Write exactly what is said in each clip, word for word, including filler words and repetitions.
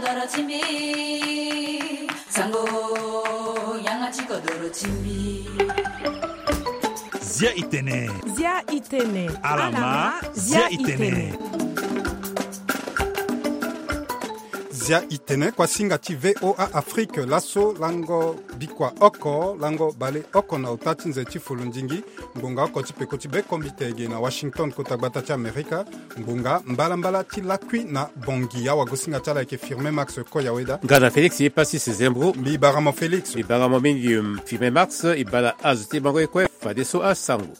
Doro ti mbi, sango, yanga ti kodoro ti mbi. Zia itene. Zia itene. Alama, zia itene. Zia itene, kuasinga ti V O A Afrique, laso lango bikua oko, lango bale oko na ota ti nze ti folondingi, ngbonga oko ti peko ti be kombite ge na Washington, kota gbata ti Amerika. Ngbonga mbalambala ti lakui na Bangui. Awagosinga ti ala ayeke Firmin Max Koyaweda. Nga na Félix ye Passis Zembro. Mbi bara mo Félix. Mbi bara mo mingi, um, Firmin Max, e bala azo ti bango ye kue, fadeso asango.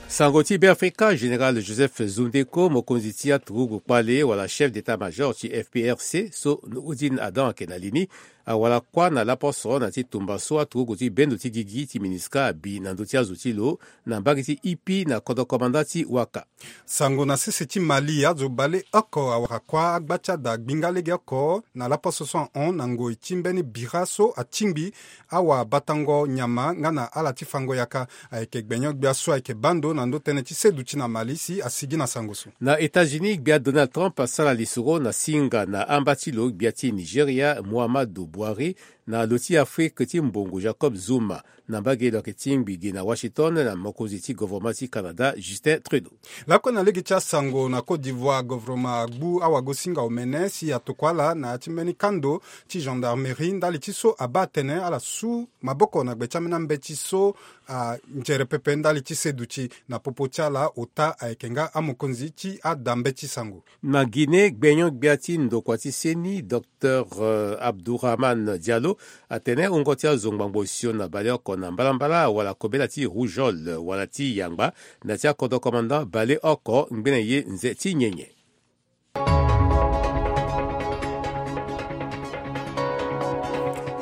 Sango ti Beafrika, Général Joseph Zundeko, mokonzi ti aturugu kpale wala chef d'état-major ti F P R C, so Nouroudine Adam ayeke na li ni, awara kuâ na laposo na ti tumba so aturugu ti bendo ti gigi ti MINUSCA abi na ndö ti azo ti lo na mbage ti Ipi na kodro komanda ti Waka. Sango na sese ti Mali, azo bale oko awara kuâ agba ti ada gbinga lege oko na laposo so ahon na ngoi ti mbeni bira so atingbi awabatango nyama nga na ala ti fango yaka. Ayeke gbenyo-gbia so ayeke baa ndo na ndö tënë ti seduti na Mali si asigi na sango so. Na États-Unis, gbia Donald Trump asara lisoro na singa na amba ti lo gbia ti Nigeria, Muhammadu Buhari, na lo ti Afrique ti mbongo Jacob Zuma, na mbage lo ayeke tingbi ge na Washington na mokonzi ti govoroma ti Canada, Justin Trudeau. Lakue na lege ti asango, na Côte d'Ivoire, govoroma agbu awagosinga omene si atokua ala na ya ti mbeni kando ti gendarmerie ndali ti so abaa atene ala su maboko na gbe ti ambeni ambeti so anzere pepe ndali ti seduti. Na popo ti ala, ota ayeke nga amokonzi ti ada mbeti sango. Na Guinée, gbenyo-gbia ti ndokua ti seni, Docteur, euh, Abdourahmane Diallo, atene wungo ti azo ngbangbo osio na baleoko na mbalambala wala kobela ti rougeole wala ti yangba na ti akodro komanda baleoko ngbene ye nze ti nyenye.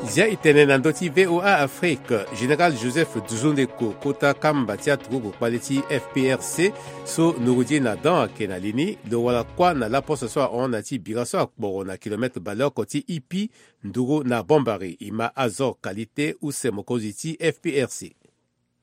Zia itene na ndö ti V O A Afrique, Général Joseph Zundeko, kota kamba ti aturugu kpale ti F P R C, so Nouroudine Adam ayeke na li ni, lo wara kuâ na laposo so ahon na ti bira so akporo na kilomètre baleoko ti Ipi, nduru na Bombari. E ma Azor Qualité, use mokonzi ti F P R C.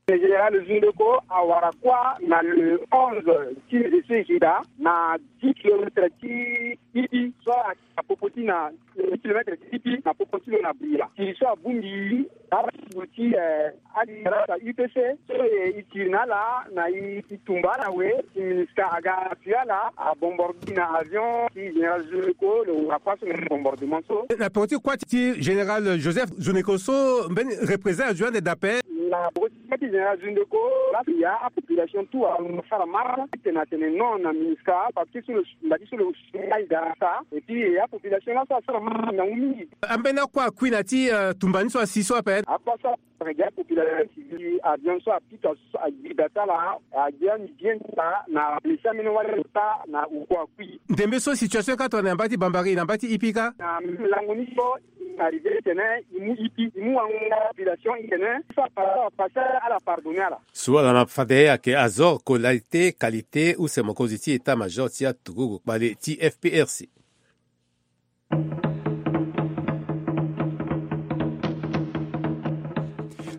Général Zundeko awara kuâ na le onze ti nze so e gi daa na dix kilomètres ti Ipi so ayeke na popo ti na dix kilomètres ti Ipi na popo ti lo na Bria. Tiri so abongbi ala ti, eh, ali grâce à U P C so, eh, e tiri na ala na e, e tumba ala awe. Ti MINUSCA aga na appui ala, abombardé na avion ti général Zundeko, lo wara kuâ so na bombardement so. Na peko ti kuâ ti général Joseph Zundeko so, mbeni représailles azo ande daa ape. Na peko ti kuâ ti général Zundeko, la ya apopulation tout asara marche titene atene non na MINUSCA, parce que so lo, mbati so lo si aye daa na ota. Et puis, eh, apopulation laso asara marche na ngu mingi. Ambeni akuâ akui na ya ti, eh, tumba ni so asi so ape. Akuâ so Regarde population civile, avion so apika so agbida ti ala, agbia ni bien ti ala na blessé ambeni wali ota na oko akui. Ndembe so situation ka tongana na mbage ti Bambari, na mbage ti Ipi ka? Na lango ni so, arrivé titene e mu Ipi, e mu wango population titene so apasa, apasa ala pardonné ala. So ala ma fade ayeke Azor Qualité, Qualité, use mokonzi ti état-major ti aturugu kpale ti F P R C.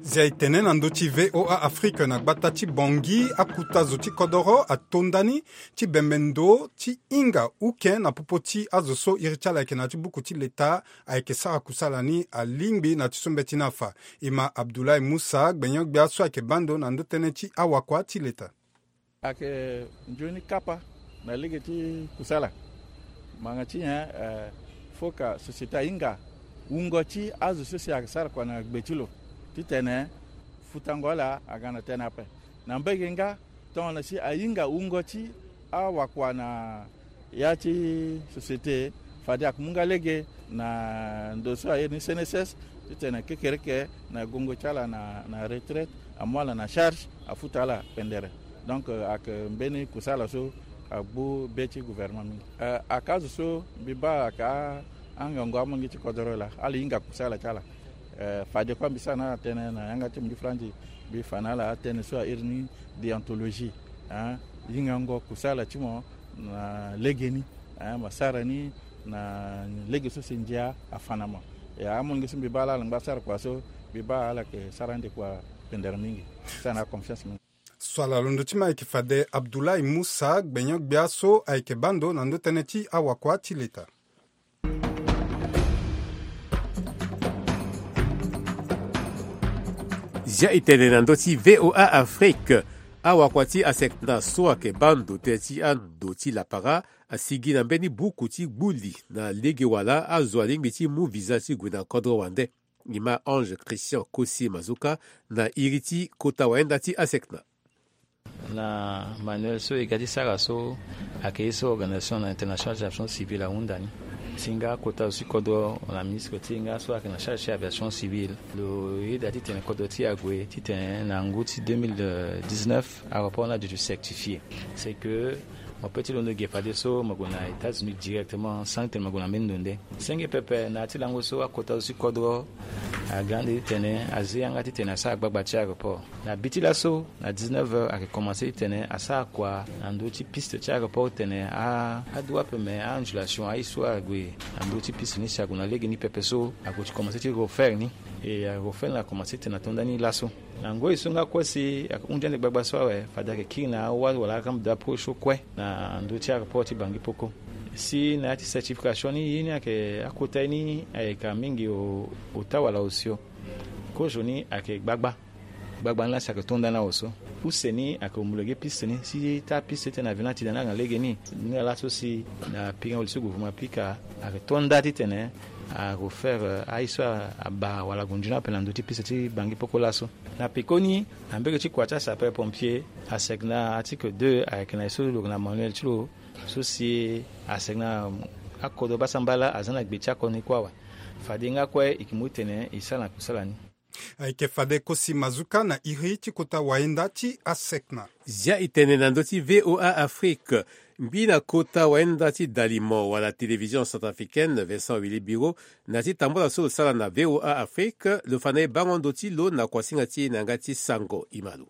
Zia e tene na ndö ti V O A Afrique, na gbata ti Bangui, akuta zo ti kodoro ato ndani ti bembe ndo ti hinga uke na popo ti azo so iri ti ala ayeke na ya ti buku ti leta ayeke sara kusala ni alingbi na ya ti so mbeti ni afa. E ma Abdoulaye Moussa, gbenyo-gbia so ayeke baa ndo na ndö tënë ti awakua ti leta. Ayeke nzoni kapa na lege ti kusala. Ngbanga ti nyen? Eh, foka société ahinga wungo ti azo so si ayeke sara kua na gbe ti lo titene futango ala aga na tënë ape. Na mbage nga, tongana si ahinga wungo ti awakua na ya ti société, fade ayeke mu nga lege na ndo so airi ni C N S S, titene kekereke na gongo ti ala na, na retraite, amu ala na charge, afuta ala pendere. Donc, euh, ayeke mbeni kusala so agbu be ti gouvernement mingi. Euh, ayeke azo so mbi baa ayeke a, angangu amongi ti kodoro laa, ala hinga kusala ti ala. Eh, fade kue mbi sara na ala tënë na yanga ti mundu franzi, mbi fa na ala atënë so airi ni déontologie, hein, hingango kusala ti mo na legeni, hein, mo sara ni na lege so si ndia afa na mo. Ya amonge so mbi baa ala ala ngba sara kua so, mbi baa ala yeke sara ande kua pendere mingi. Sara na ala confiance mingi. So ala londo ti ma ayeke fade Abdoulaye Moussa, gbenyo-gbia so ayeke baa ndo na ndö tënë ti awakua ti leta. Zia e tene na ndö ti V O A Afrique. Awakua ti ASECNA so ayeke baa ndo tënë ti ando ti lapara asigi na mbeni buku ti gbu li na lege wala azo alingbi ti mu visa ti gue na kodro wande. Ngi ma Ange Christian Kosi Mazuka na iri ti kota wayenda ti ASECNA. Na manuel so e ga ti sara so ayeke ye so organisation na internationale ti aviation civile ahunda ni. Si nga kota zo ti kodro na ministre ti e nga so ayeke na charge ti aviation civile, lo yeda titene kodro ti e ague titene na ngu ti deux mille dix-neuf aéroport ni aduti certifié. C'est que mo peut ti londo ge fadeso mo gue na États-Unis directement sans titene mo gue na mbeni ndo nde. Senge pepe na ya ti lango so akota zo ti kodro aga ande titene azi yanga titene asara gbagba ti aéroport. Na bi ti laso na dix-neuf heures ayeke komanse titene asara kua na ndö ti piste ti aéroport titene a, adu ape me a-ondulation aye so ague na ndö ti piste ni si ague na lege ni pepe so ague ti komanse ti refaire ni. E arefaire ni akomanse titene ato nda ni laso. Na ngoi so nga kue si ayeke hunzi ande gbagba so awe fade ayeke kiri na awa wala akambe de approche so kue na ndö ti aéroport ti Bangui Poko. Si na ya ti certification ni ye ni ayeke akota ye ni ayeke mingi o, ota wala osio. Kozo ni ayeke gbagba. Gbagba ni la si ayeke to nda ni awe so. Use ni ayeke homologué piste ni si taa piste titene avion ni ati daa ni aga na lege ni. Ni laa so si na pikango li so gouvernement apika ayeke to nda titene arefaire aye so abaa wala ague nzoni ape na ndö ti piste ti Bangui Poko laso. Na pekoni na mbege ti kua ti asapeur pompier, ASECNA article deux ayeke na ye so lo yeke na manuel ti lo so si ASECNA akodro basa mbala aza na gbe ti akodro ni kue awe. Fade nga kue e yeke mu titene e sara na kusala ni. Ayeke fade Kosi Mazuka na iri ti kota wayenda ti ASECNA. Zia e tene na ndö ti V O A Afrique. Ngbi na kota wayenda ti dalimo wala télévision centrafricaine Vincent Willy Biro na ya ti tambula so lo sara na V O A Afrique lo fa na e bango ndo ti lo na kuasinga ti e na yanga ti sango. Imalo.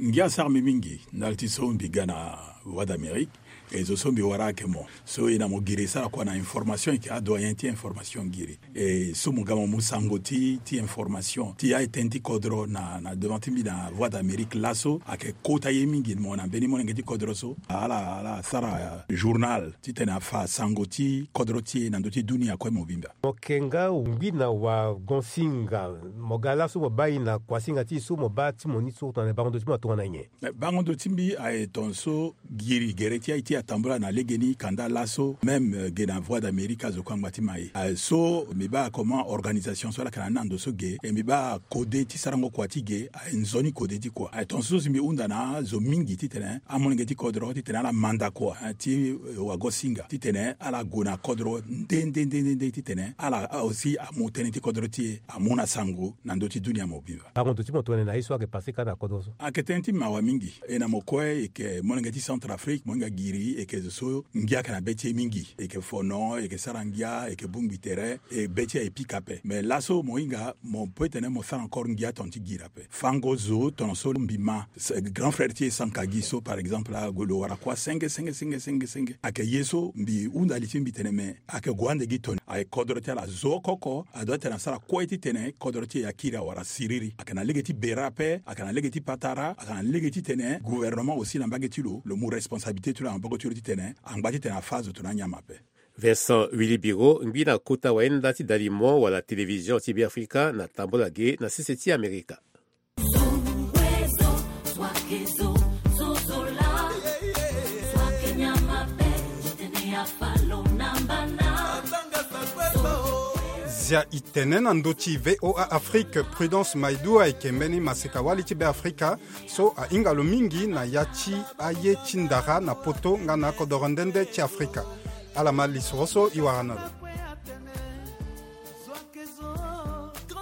Ngia sara mbi mingi ndali ti so mbi ga na Voix d'Amérique. E zo so mbi wara ayeke mo so e na mo giri e sara kua na information, e yeke adoyen ti information giri. E so mo ga mo mu sango ti, ti information ti aye tënë ti kodro na, na devant ti mbi na Voix d'Amérique laso ayeke kota ye mingi mo na mbeni molenge ti kodro so ala, ala sara journal titene afa sango ti kodro ti e na ndö ti dunia kue mobimba. Mo yeke nga ngbi na wagonsinga, mo ga laso mo baa e na kuasinga ti e so mo baa ti mo ni so tongana bango ndo ti mo atongana nyen? Eh, bango ndo ti mbi aye tongaso giri gere ti aye ti atambula na legeni kanda laso même, eh, ge na Voix d'Amérique azo kue angba ti ma e. Aye so mbi baa comment organisation so ala yeke na ni na ndo so ge, e mbi baa kode ti sarango kua ti ge aye nzoni kode ti kua. Aye tongaso si mbi hunda na azo mingi titene amolenge ti kodro titene ala manda kua, eh, ti, eh, wagosinga titene ala gue na kodro nde nde nde nde nde titene ala, ah, aussi amu tënë ti kodro ti e amu na sango na ndö ti dunia mobimba. Bango ndo ti mo tongana na ye so ayeke pase kâ na kodro so. Ayeke tënë ti mawa mingi. E na mo kue e yeke molenge ti Centrafrique, mo hinga giri e yeke zo so ngia ayeke na be ti e mingi. E yeke fono, e yeke sara ngia, e yeke bongbi tere, e be ti e aye pika ape. Mais laso mo hinga mo peut tene mo sara encore ngia tongana ti giri ape. Fango zo tongana so mbi ma, grand frère ti e Sankagi so par exemple ague lo wara kua senge senge senge senge senge. Ayeke ye so mbi hunda li ti mbi tene me ayeke gue ande gi toni. Aye kodro ti ala zo oko oko adoit tene asara kue titene kodro ti e akiri awara siriri. Ayeke na lege ti bera ape, ayeke na lege ti patara, ayeke na lege titene gouvernement aussi na mbage ti lo lo mu responsabilité ti lo na maboko ti lo titene angba titene afa azo tongana anyama ape. Vincent Willy Biro ngbi na kota wayenda ti dalimo wala télévision ti Beafrika na tambula ge na sese ti Amerika. Zia e tene na ndö ti VOA Afrique, Prudence Maidou ayeke mbeni maseka-wali ti Beafrika so ahinga lo mingi na ya ti aye ti ndara na poto nga na akodoro nde nde ti Afrika. Ala ma lisoro so e wara na lo.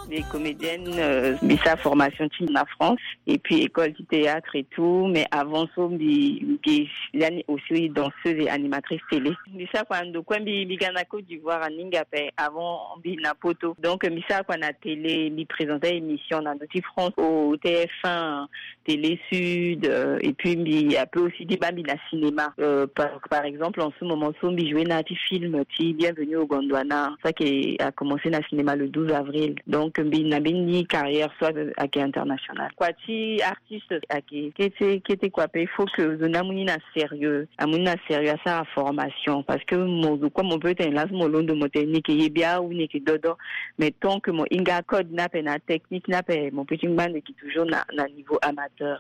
Mbi comédienne, euh, mbi sara formation ti na France et puis école ti théâtre et tout, mais avant so mbi, mbi lani aussi danseuse et animatrice télé. Mbi sara kua na ndo kue, mbi, mbi ga na Côte d'Ivoire aninga ape, avant mbi na poto. Donc mbi sara kua na télé, mbi présenta émission na ndo ti France au T F un. Télé Sud, euh, et puis mbi ape aussi ti baa mbi na cinéma. Euh, par, par exemple, en ce moment so mbi joue na ti film ti Bienvenue au Gondwana, ça qui a commencé na cinéma le douze avril. Donc mbi na mbeni carrière so ayeke internationale. Kua ti artiste ayeke kete kete kua ape, il faut que zo ni amu ni na sérieux, amu ni na sérieux, asara formation, parce que mo zo kue mo peut tene laso mo londo mo tene ni yeke ye bia ou ni yeke dodo, mais tant que mo hinga code ni ape na technique ni ape, mo peut ti ngba ndo yeke toujours na, na niveau amateur.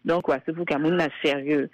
Donc kua so faut que amu ni na sérieux.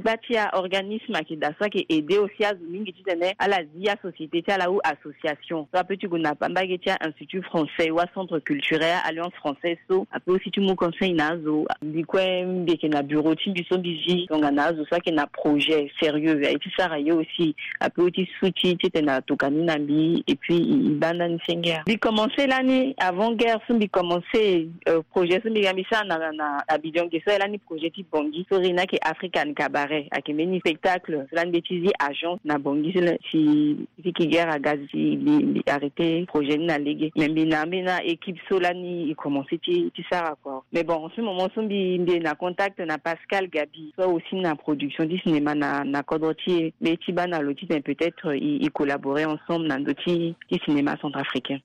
Gba ti a organisme ayeke daa so ayeke aider aussi azo mingi titene ala zi asociété ti ala ou association so ape ti gue na pambage ti a Institut Français ou a Centre Culturel Alliance Française, so ape aussi ti mu conseil na azo. Mbi kue mbi yeke na bureau ti mbi so mbi zi tongana azo so ayeke na projet sérieux aye ti sara ye aussi, ape aussi ti su ti titene atokua ni na mbi, et puis e baa ndani senge. Mbi commencé lani avant guerre so mbi commencé, euh, projet so mbi ga mbi sara na, na Abidjan ge so aye lani projet ti Bangui so iri ni ayeke African Cabaret, ayeke mbeni spectacle so lani mbi ti zi agence na Bangui so lani si, si ki guerre aga si mbi, mbi arrêté projet ni na lege. Mais mbi na, mbi na équipe so lani e commencé ti, ti sara kua. Mais bon, en ce moment so mbi, mbi na contact na Pascal Gaby so aussi na production ti cinéma na, na kodro ti e, mbi ti baa na lo titene peut-être e, e collaborer ensemble na ndö ti, ti cinéma centrafricain.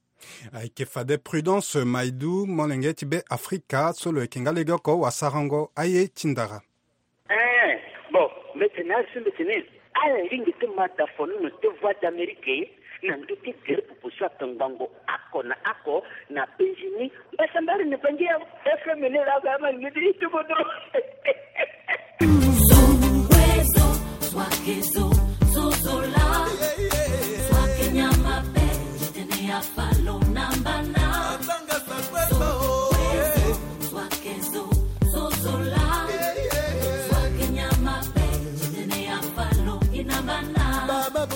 Ayeke fade Prudence Maidou, molenge ti Be Afrika so lo yeke nga lege oko wasarango aye ti ndara. Eh, bon, mbi tene azo mbi tene ala lingbi ti ma da fonono ti Voix d'Amérique na ndö ti gere popo so ayeke ngbangbo oko na oko na penzi ni. Mbasambari ni bangi ya F M ni la ga ma ngidi ti kodro.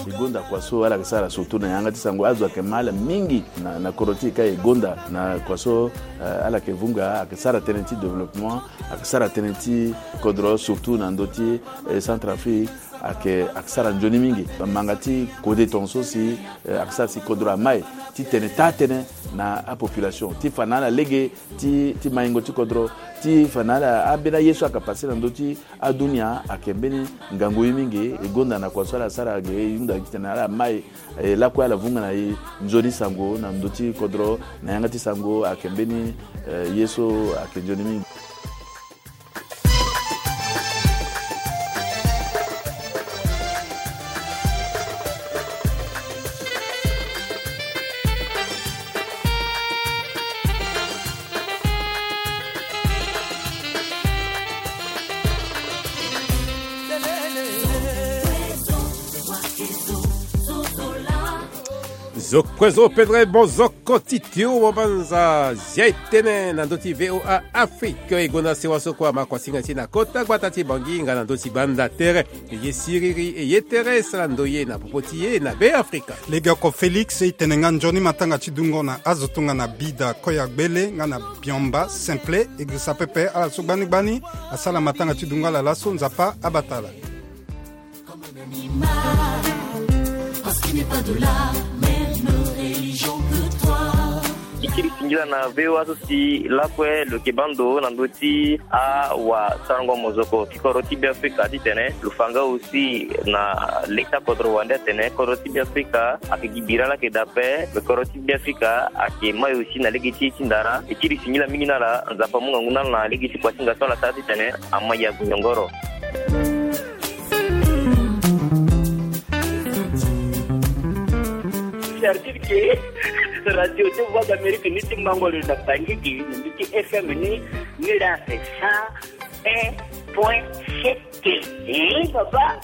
E gonda kua so ala yeke sara surtout na yanga ti sango, azo ayeke ma ala mingi na, na kodro ti e ka e gonda na kua so, eh, ala yeke vunga, ayeke sara tënë ti développement, ayeke sara tënë ti kodro surtout na ndö ti, eh, Centrafrique. Ayeke, ayeke sara nzoni mingi. Manga ti kode tongaso si, eh, ayeke sara si kodro amai ti tene taa tënë na apopulation ti fa na ala lege ti, ti maingo ti kodro, ti fa na ala ambeni aye so ayeke pase na ndö ti adunia. Ayeke mbeni ngangu ye mingi. E gonda na kua so ala sara ge, e hunda titene ala mai, e lakue ala vunga na e nzoni sango na ndö ti kodro na yanga ti sango. Ayeke mbeni, eh, ye so ayeke nzoni mingi. Zo kue zo, pedre mozoko ti tio mo banza zia e tënë na ndö ti V O A Afrique. E gonda sewa so kue ama kuasinga ti e na kota gbata ti Bangui nga na ndö ti banda tere. E ye siriri, e ye tere, sara ndoye na popo ti e na Be Afrika. Legeoko Félix, e tene nga nzoni matanga ti dungo na azo tongana Bida Koya Gbele nga na Biomba Simple, e girisa pepe ala so gbani gbani asara matanga ti dungo ala laso. Nzapa abata ala. E kiri singila na V O A so si lakue lo yeke baa ndo na ndö ti awasarango mozoko ti kodro ti Be Afrika titene lo fa nga aussi na leta kodro wande atene kodro ti Be Afrika ayeke gi bira laa ayeke daa ape. Me kodro ti Be Afrika ayeke mai aussi na lege ti e ti ndara. E kiri singila mingi na ala, Nzapa amu ngangu na ala na lege ti kuasinga so ala sara titene ama ya gue nyongoro. Certitude ke radio ti Voix d'Amérique ni ti mango lo na Bangui ke, na ndö ti F M ni, ni la cent un point sept. Eh, papa.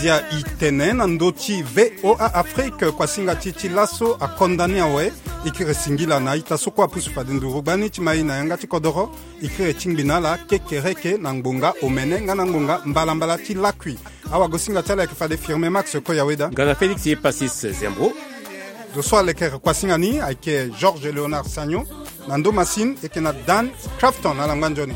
Zia e tene na ndö ti V O A Afrique, kuasinga ti e ti laso akonda ni awe. E kiri singila na a-ita so kue apusu fade nduru gbani ti ma e na yanga ti kodoro. E kiri tingbi na ala kekereke na ngbonga omene nga na ngbonga mbalambala ti lakui. Awagosinga ti ala ayeke fade Firme Max Koyaweda nga na Félix Passis Zembro. Zo so alekere kuasinga ni ayeke Georges Léonard Sagnon. Na ndo masine eke na Dan Crafton na langba nzoni.